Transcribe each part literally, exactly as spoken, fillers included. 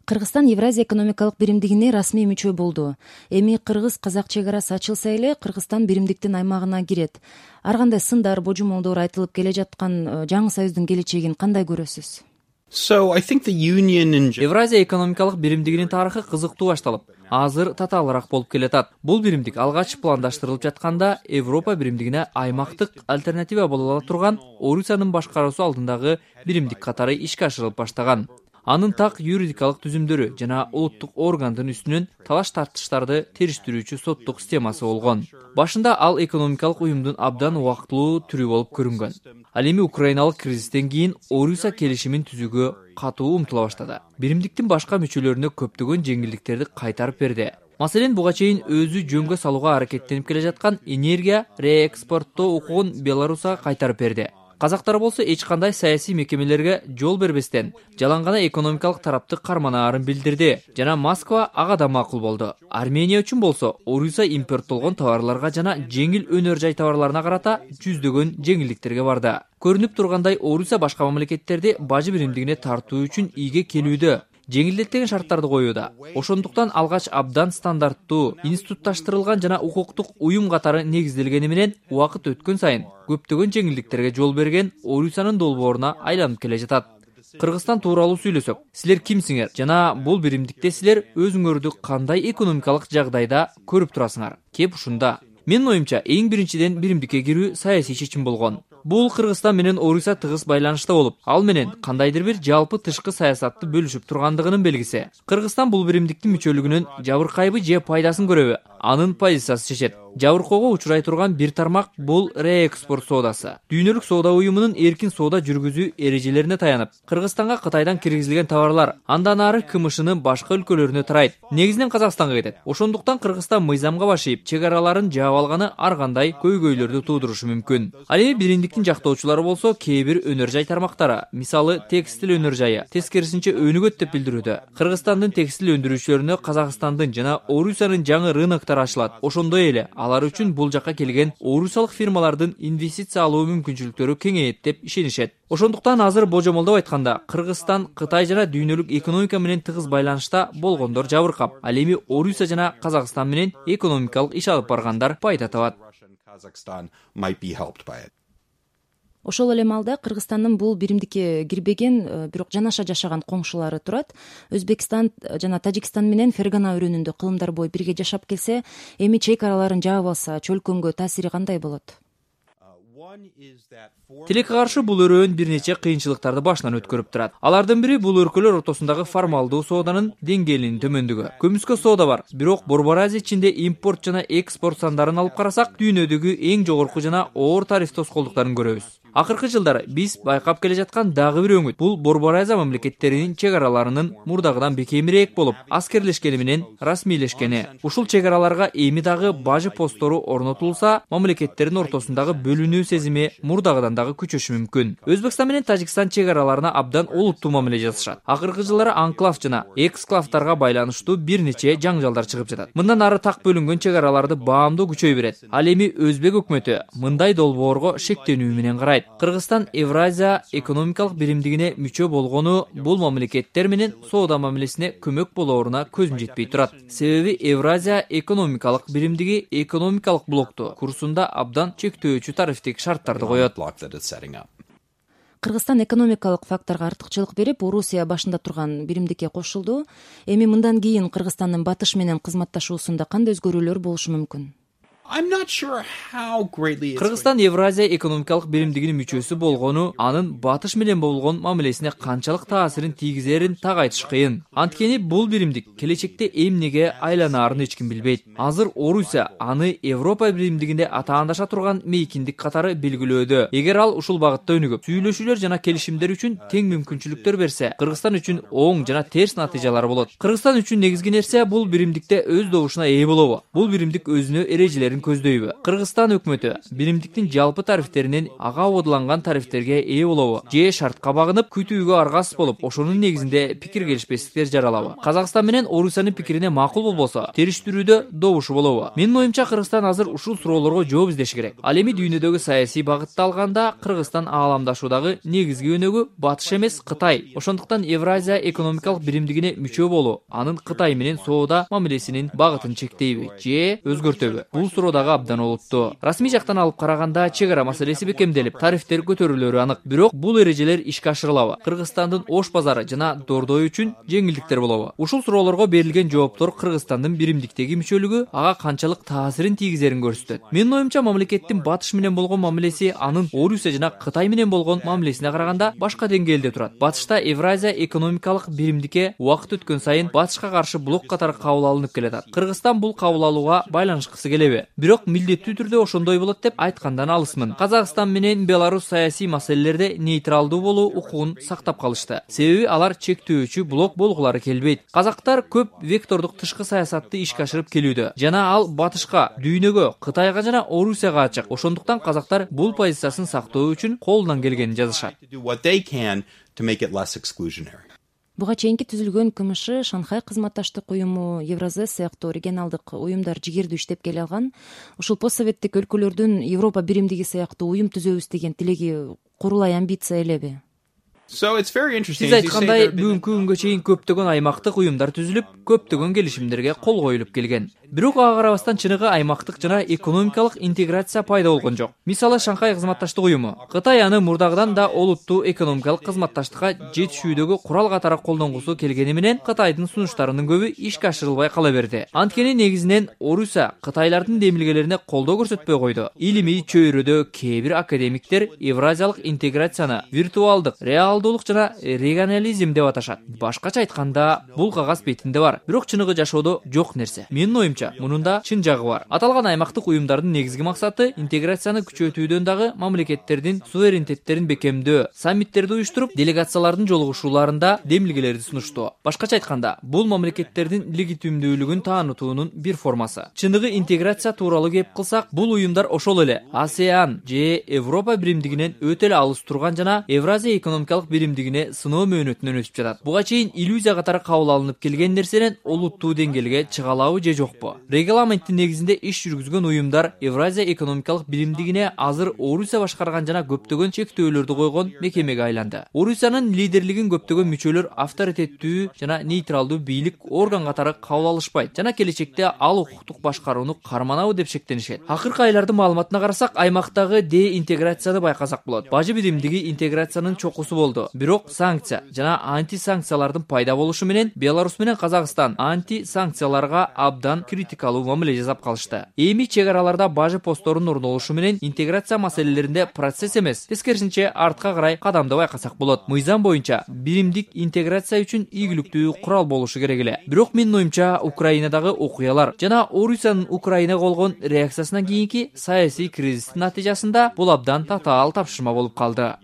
Кыргызстан Евразия экономикалык биримдигине расмий мүчө болду. Эми кыргыз-казак чек арасы ачылса эле Кыргызстан биримдиктин аймагына кирет. Ар кандай сындар, божомолдор айтылып келе жаткан жаңы союздун келечегин кандай көрөсүз? Евразия экономикалык биримдигинин тарыхы кызыктуу башталып, азыр татаалыраак болуп келатат. Бул биримдик алгач пландаштырылып жатканда Европа биримдигине аймактык альтернатива боло ала турган Орусиянын башкаруусу алдындагы биримдик катары ишке ашырылып баштаган. Анын так юридикалык түзүмдөрү жана улуттук органдын үстүнөн талаш тартыштарды териштирүүчү соттук системасы болгон. Башында ал экономикалык уюмдун абдан убактылуу түрү болуп көрүнгөн. Ал эми украиналык кризистен кийин Орусия келишимин түзүүгө катуу умтула баштады. Биримдиктин башка мүчөлөрүнө көптөгөн жеңилдиктерди кайтарып берди. Маселен, буга чейин өзү жөнгө салууга аракеттенип келе жаткан энергия реэкспорттоо укугун Беларусга кайтарып берди. Казактар болсо эч кандай саясий мекемелерге жол бербестен жалаң гана экономикалык тарапты карманаарын билдирди жана Москва ага да макул болду. Армения үчүн болсо Орусия импорттолгон товарларга жана жеңил өнөр жай товарларына карата жүздөгөн жеңилдиктерге барды. Көрүнүп тургандай, Орусия башка мамлекеттерди бажы биримдигине тартуу үчүн ийге келүүдө, жеңилдеттеген шарттарды коюуда. Ошондуктан алгач абдан стандарттуу, институтташтырылган жана укуктук уюм катары негизделгени менен убакыт өткөн сайын көптөгөн жеңилдиктерге жол берген Орусиянын долбооруна айланып келе жатат. Кыргызстан тууралуу сүйлөсөк, силер кимсиңер жана бул биримдикте силер өзүңөрдү кандай экономикалык жагдайда көрүп турасыңар? Кеп ушунда. Менин оюмча, эң биринчиден биримдикке кирүү саясий чечим болгон. Бул Кыргызстан менен Орусия тыгыз байланышта болуп, ал менен кандайдыр бир жалпы тышкы саясатты бөлүшүп тургандыгынын белгиси. Кыргызстан бул биримдиктин мүчөлүгүнөн жабыркайбы же пайдасын көрөбү? Анын позициясы чечет. Жабыркоого учурай турган бир тармак бул реэкспорт соодасы. Дүйнөлүк соода уюмунун эркин соода жүргүзүү эрежелерине таянып, Кыргызстанга Кытайдан киргизилген товарлар андан ары КМШнын башка өлкөлөрүнө тарайт. Негизинен Казакстанга кетет. Ошондуктан Кыргызстан мыйзамга башыйып, чек араларын жаап алганы ар кандай көйгөйлөрдү туудурушу мүмкүн. Ал эми биримдиктин жактоочулары болсо кээ бир өнөр жай тармактары, мисалы текстил өнөр жайы, тескерисинче өнүгөт деп билдирүүдө. Кыргызстандын текстил өндүрүүчүлөрүнө Казакстандын жана Орусиянын жаңы рыноктор ачылат. Ошондой эле алар үчүн бул жакка келген орусиялык фирмалардын инвестиция алуу мүмкүнчүлүктөрү кеңейет деп ишенишет. Ошондуктан азыр божомолдоп айтканда, Кыргызстан Кытай жана дүйнөлүк экономика менен тыгыз байланышта болгондор жабыркап, ал эми Орусия жана Казакстан менен экономикалык иш алып баргандар пайда табат. Ошол эле маалда Кыргызстандын бул биримдикке кирбеген, бирок жанаша жашаган коңшулары турат. Өзбекстан жана Тажикстан менен Фергана өрөөнүндө кылымдар бою бирге жашап келсе, эми чек араларын жаап алса, чөлкөмгө таасири кандай болот? Тилекке каршы бул өрөөн бир нече кыйынчылыктарды башынан өткөрүп турат. Алардын бири бул өлкөлөр ортосундагы формалдуу сооданын деңгээлинин төмөндүгү. Көмүскө соода бар, бирок Борбор Азия ичинде импорт жана экспорт сандарын алып карасак, дүйнөдөгү эң жогорку жана оор тариф тоскоолдуктарын көрөбүз. Акыркы жылдары биз байкап келе жаткан дагы бир өңүт бул Борбор Азия мамлекеттеринин чек араларынын мурдагыдан бекемирээк болуп, аскерлешкени менен расмийлешкени. Ушул чек араларга эми дагы бажы посттору орнотулса, мамлекеттердин ортосундагы бөлүнүү сезими мурдагыдан дагы күчөшү мүмкүн. Өзбекстан менен Тажикстан чек араларына абдан олуттуу мамиле жасашат. Акыркы жылдары анклав жана эксклавдарга байланыштуу бир нече жаңжалдар чыгып жатат. Мындан ары так бөлүнгөн чек араларды баамдоо күчөй берет. Ал эми Өзбек өкмөтү мындай долбоорго шектенүү менен карайт. Кыргызстан Евразия экономикалык биримдигине мүчө болгону бул мамлекеттер менен соода мамилесине көмөк болооруна көзүм жетпей турат. Себеби Евразия экономикалык биримдиги экономикалык блокту курсунда абдан чектөөчү тарифтик шарттарды коет. Кыргызстан экономикалык факторго артыкчылык берип, Орусия башында турган биримдикке кошулду. Эми мындан кийин Кыргызстандын батыш менен кызматташуусунда кандай өзгөрүүлөр болушу мүмкүн? Кыргызстан Евразия экономикалык биримдигинин мүчөсү болгону анын батыш менен болгон мамилесине канчалык таасирин тийгизерин так айтыш кыйын. Анткени бул биримдик келечекте эмнеге айланаарын эч ким билбейт. Азыр Орусия аны Европа биримдигинде атаандаша турган мейкиндик катары белгилөөдө. Эгер ал ушул багытта өнүгүп, сүйлөшүүлөр жана келишимдер үчүн тең мүмкүнчүлүктөр берсе, Кыргызстан үчүн оң жана терс натыйжалар болот. Кыргызстан үчүн негизги нерсе бул биримдикте өз добушуна ээ болобу? Бул биримдик өзүнө эрежелерин тарифтерин көздөйбү? Кыргызстан өкмөтү биримдиктин жалпы тарифтеринен ага абодланган тарифтерге ээ болобу же шартка багынып күтүүгө аргасыз болуп, ошонун негизинде пикир келишпестиктер жаралабы? Казакстан менен Орусиянын пикирине макул болбосо, териштирүүдө добушу болобу? Менин оюмча Кыргызстан азыр ушул суроолорго жооп издеши керек. Ал эми дүйнөдөгү саясий багытты алганда Кыргызстан ааламдашуудагы негизги өнөгү Батыш эмес, Кытай. Ошондуктан Евразия экономикалык биримдигине мүчө болуу анын Кытай менен соода мамилесинин багытын чектейби же өзгөртөбү? Бул суроо дагы абдан олуттуу. Расмий жактан алып караганда чек ара маселеси бекемделип, тарифтер көтөрүлөрү анык. Бирок бул эрежелер ишке ашырылабы? Кыргызстандын ош базары жана Дордой үчүн жеңилдиктер болобу? Ушул суроолорго берилген жооптор Кыргызстандын биримдиктеги мүчөлүгү ага канчалык таасирин тийгизерин көрсөтөт. Менин оюмча мамлекеттин Батыш менен болгон мамилеси анын Орусия жана Кытай менен болгон мамилесине караганда башка деңгээлде турат. Батышта Евразия экономикалык биримдикке убакыт өткөн сайын Батышка каршы блок катары кабыл алынып келатат. Кыргызстан бул кабыл алууга байланышкысы келеби? Бирок милдеттүү түрдө ошондой болот деп айткандан алысмын. Казакстан менен Беларусь саясий маселелерде нейтралдуу болуу укугун сактап калышты. Себеби алар чектөөчү блок болгулары келбейт. Казактар көп вектордук тышкы саясатты ишке ашырып келүүдө жана ал Батышка, дүйнөгө, Кытайга жана Орусияга ачык. Ошондуктан казактар бул позициясын сактоо үчүн колунан келгенин жазышат. Буга чейинки түзүлгөн КМШ, Шанхай кызматташтык уюму, Евразес сыяктуу регионалдык уюмдар жигердүү иштеп келе алган. Ушул постсоветтик өлкөлөрдүн Европа биримдиги сыяктуу уюм түзөбүз деген тилеги курулай амбиция элеби? Сиз айткандай, бүгүнкү күнгө чейин көптөгөн аймактык уюмдар түзүлүп, көптөгөн келишимдерге кол коюлуп келген. Бирок ага карабастан чыныгы аймактык жана экономикалык интеграция пайда болгон жок. Мисалы, Шанхай кызматташтык уюму. Кытай аны мурдагыдан да олуттуу экономикалык кызматташтыкка жетишүүдөгү курал катары колдонгусу келгени менен Кытайдын сунуштарынын көбү ишке ашырылбай кала берди. Анткени негизинен Орусия Кытайлардын демилгелерине колдоо көрсөтпөй койду. Илимий чөйрөдө кээ бир академиктер евразиялык интеграцияны виртуалдык, реалдуулук жана регионализм деп аташат. Башкача айтканда, бул кагаз бетинде бар, бирок чыныгы жашоодо жок нерсе. Менин оюмча, мунун да чын жагы бар. Аталган аймактык уюмдардын негизги максаты интеграцияны күчөтүүдөн дагы мамлекеттердин суверенитеттерин бекемдөө, саммиттерди уюштуруп, делегациялардын жолугушууларында демилгелерди сунуштоо. Башкача айтканда, бул мамлекеттердин легитимдүүлүгүн таанытуунун бир формасы. Чыныгы интеграция тууралуу кеп кылсак, бул уюмдар ошол эле АСЕАН же Европа биримдигинен өтө эле алыс турган жана Евразия экономикалык биримдигине сыноо мөөнөтүнөн өтүп жатат. Буга чейин иллюзия катары кабыл алынып келген нерсенен олуттуу деңгээлге чыга алабы же жокпу? Регламенттин негизинде иш жүргүзгөн уюмдар Евразия экономикалык биримдигине азыр Орусия башкарган жана көптөгөн чектөөлөрдү койгон мекемеге айланды. Орусиянын лидерлигин көптөгөн мүчөлөр авторитеттүү жана нейтралдуу бийлик орган катары кабыл алышпайт жана келечекте ал укуктук башкарууну карманабы деп шектенишет. Акыркы айлардын маалыматына карасак, аймактагы деинтеграцияны байкасак болот. Бажы биримдиги интеграциянын чокусу болду. Бирок санкция жана анти-санкциялардын пайда болушу менен Беларусь менен Казакстан анти-санкцияларга абдан критикалуу мамиле жасап калышты. Эми чек араларда бажы постторунун орнолушу менен интеграция маселелеринде процесс эмес, тескерисинче артка карай кадамды байкасак болот. Мыйзам боюнча биримдик интеграция үчүн ийгиликтүү курал болушу керек эле. Бирок менин оюмча, Украинадагы окуялар жана Орусиянын Украинага болгон реакциясынан кийинки саясий кризистин натыйжасында бул абдан татаал тапшырма болуп калды.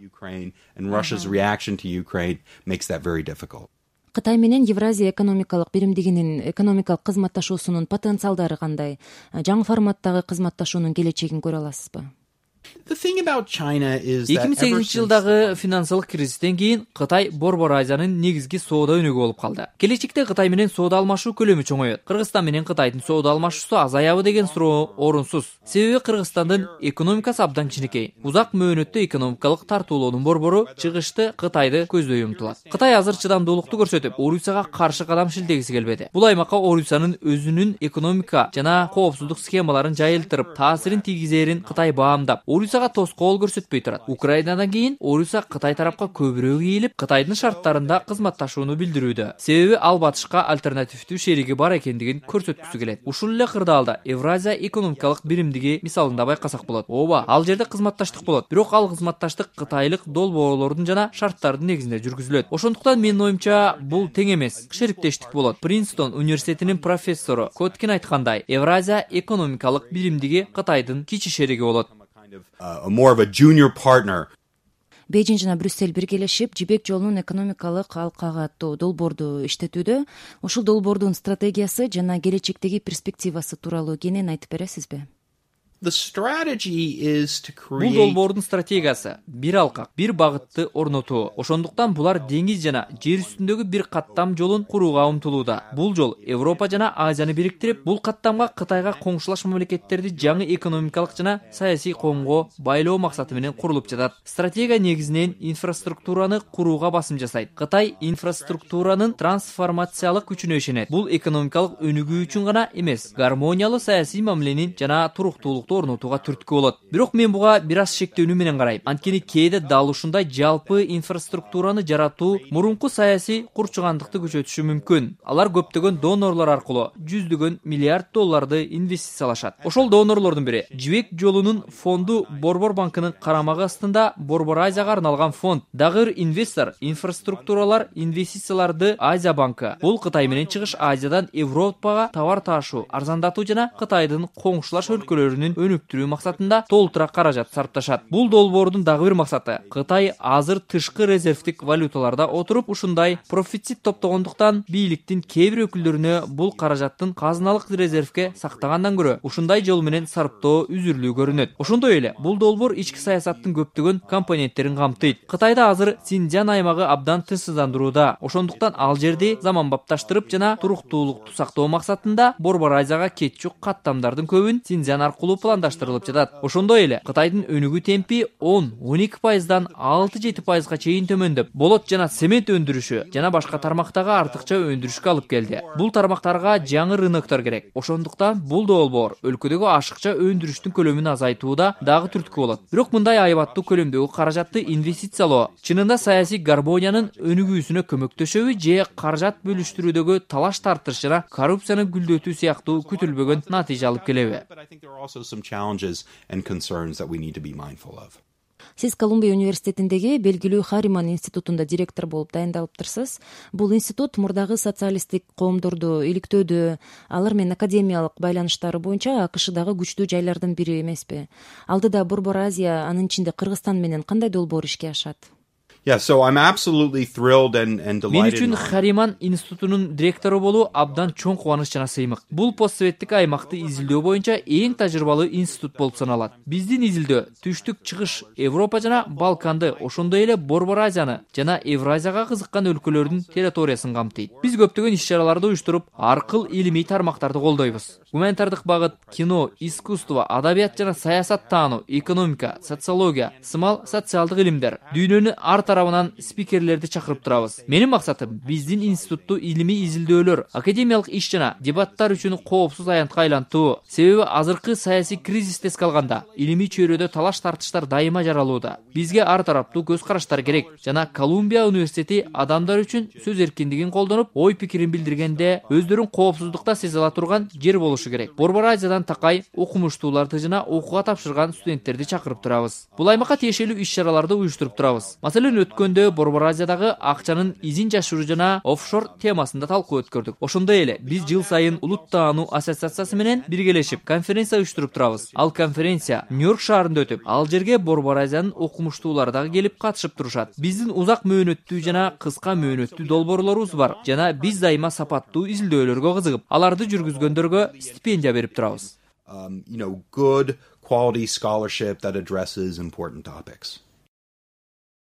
Кытай менен Евразия экономикалык биримдигинин экономикалык кызматташуусунун потенциалдары кандай? Жаңы форматтагы кызматташуунун келечегин көрө аласызбы? эки миң сегизинчи жылдагы финансылык кризистен кийин Кытай Борбор Азиянын негизги соода өнөгү болуп калды. Келечекте Кытай менен соода алмашуу көлөмү чоңойот. Кыргызстан менен Кытайдын соода алмашуусу азаябы деген суроо орунсуз. Себеби Кыргызстандын экономикасы абдан кичинекей. Узак мөөнөттө экономикалык тартуулоонун борбору чыгышты Кытайды көздөй умтулат. Кытай азыр чыдамдуулукту көрсөтүп, Орусияга каршы кадам шилтегиси келбеди. Бул аймакка Орусиянын өзүнүн экономика жана коопсуздук схемаларын жайылтырып, таасирин тийгизерин Кытай баамдап, Орусияга тоскоол көрсөтпөй турат. Украинадан кийин Орусия Кытай тарапка көбүрөөк ийилип, Кытайдын шарттарында кызматташууну билдирүүдө. Себеби ал Батышка альтернативдүү шериги бар экендигин көрсөткүсү келет. Ушул эле кырдаалда Евразия экономикалык биримдиги мисалында байкасак болот. Ооба, ал жерде кызматташтык болот. Бирок ал кызматташтык кытайлык долбоорлордун жана шарттардын негизинде жүргүзүлөт. Ошондуктан менин оюмча, бул тең эмес, шериктештик болот. Принстон университетинин профессору Коткин айткандай, Евразия экономикалык биримдиги Кытайдын кичи шериги болот. Бейжин жана Брюссель биргелешип Жибек жолунун экономикалык алкага аттуу долбоорду иштетүүдө. Ушул долбоордун стратегиясы жана келечектеги перспективасы тууралуу кенен айтып бересизби? The strategy is to Бул create долбоордун стратегиясы бир алкак, бир багытты орнотуу. Ошондуктан булар деңиз жана жер үстүндөгү бир каттам жолун курууга умтулууда. Бул жол Европа жана Азияны бириктирип, бул каттамга Кытайга коңшулаш мамлекеттерди жаңы экономикалык жана саясий коомго байлоо максаты менен курулуп жатат. Стратегия негизинен инфраструктураны курууга басым жасайт. Кытай инфраструктуранын трансформациялык күчүнө ишенет. Бул экономикалык өнүгүү үчүн гана эмес, гармониялуу саясий мамиленин жана туруктуулукту орнотууга түрткү болот. Бирок мен буга бир аз шектүүнү менен карайм. Анткени кээде дал ушундай жалпы инфраструктураны жаратуу мурунку саясий курчугандыкты күчөтүшү мүмкүн. Алар көптөгөн донорлор аркылуу жүздөгөн миллиард долларды инвестициялашат. Ошол донорлордун бири Жибек жолунун фонду Борбор банкынын карамагы астында Борбор Азияга арналган фонд. Дагы бир инвестор инфраструктуралар инвестицияларды Азия банкы. Бул Кытай менен Чыгыш Азиядан Европага товар таашуу, арзандатуу жана Кытайдын коңшулаш өлкөлөрүнүн өнүктүрүү максатында толтура каражат сарпташат. Бул долбоордун дагы бир максаты Кытай азыр тышкы резервдик валюталарда отуруп ушундай профицит топтогондуктан бийликтин кээ бир өкүлдөрүнө бул каражаттын казыналык резервге сактагандан көрө ушундай жол менен сарптоо үзүрлүү көрүнөт. Ошондой эле бул долбоор ички саясаттын көптөгөн компоненттерин камтыйт. Кытайда азыр Синьцзян аймагы абдан тынчсыздандырууда. Ошондуктан ал жерди заманбапташтырып жана туруктуулукту сактоо максатында Борбор Азияга кетчүк каттамдардын көбүн Синьцзян аркылуу пландаштырылып жатат. Ошондой эле Кытайдын өнүгүү темпи он он эки пайыздан алты жети пайызга чейин төмөндөп, болот жана цемент өндүрүшү жана башка тармактагы артыкча өндүрүшкө алып келди. Бул тармактарга жаңы рыноктор керек. Ошондуктан бул долбоор өлкөдөгү ашыкча өндүрүштүн көлөмүн азайтууда дагы түрткү болот. Бирок мындай айбаттуу көлөмдөгү каражатты инвестициялоо чынында саясий гармониянын өнүгүүсүнө көмөктөшөбү же каражат бөлүштүрүүдөгү талаш тартыш жана коррупцияны гүлдөтүү сыяктуу күтүлбөгөн натыйжа алып келеби? Сиз Колумбия университетиндеги белгилүү Хариман институтунда директор болуп дайындалыптырсыз. Бул институт мурдагы социалисттик коомдорду иликтөөдө, алар менен академиялык байланыштары боюнча АКШдагы күчтүү жайлардын бири эмеспи? Алдыда Борбор Азия, анын ичинде Кыргызстан менен кандай долбоор ишке ашат? Yeah, so I'm absolutely thrilled and and Мен delighted. үчүн Хариман институтунун директору болуу абдан чоң кубаныч жана сыймык. Бул постсоветтик аймакты изилдөө боюнча эң тажрыйбалуу институт болуп саналат. Биздин изилдөө түштүк чыгыш Европа жана Балканды, ошондой эле Борбор Азияны жана Евразияга кызыккан өлкөлөрдүн территориясын камтыйт. Биз көптөгөн иш-чараларды уюштуруп, ар кыл илимий тармактарды колдойбуз. Гуманитардык багыт, кино, искусство, адабият жана саясат таануу, экономика, социология, сымал социалдык илимдер, дүйнөнүн ар тарабынан спикерлерди чакырып турабыз. Менин максатым биздин институтту илимий изилдөөлөр, академиялык иш жана дебаттар үчүн коопсуз аянтка айлантуу. Себеби азыркы саясий кризисте эскалганда илимий чөйрөдө талаш тартыштар дайыма жаралууда. Бизге ар тараптуу көз караштар керек жана Колумбия университети адамдар үчүн сөз эркиндигин колдонуп, ой пикирин билдиргенде өздөрүн коопсуздукта сезе ала турган жер болушу керек. Борбор Азиядан такай окумуштууларды жана окууга тапшырган студенттерди чакырып турабыз. Бул аймакка тиешелүү иш-чараларды уюштуруп турабыз. Маселен, өткөндө Борбор Азиядагы акчанын изин жашыруу жана офшор темасында талкуу өткөрдүк. Ошондой эле биз жыл сайын Улут таануу ассоциациясы менен биргелешип конференция уюштуруп турабыз. Ал конференция Нью-Йорк шаарында өтүп, ал жерге Борбор Азиянын окумуштуулары дагы келип катышып турушат. Биздин узак мөөнөттүү жана кыска мөөнөттүү долбоорлорубуз бар жана биз дайыма сапаттуу изилдөөлөргө кызыгып, аларды жүргүзгөндөргө стипендия берип турабыз. Um, you know, good quality scholarship that addresses important topics.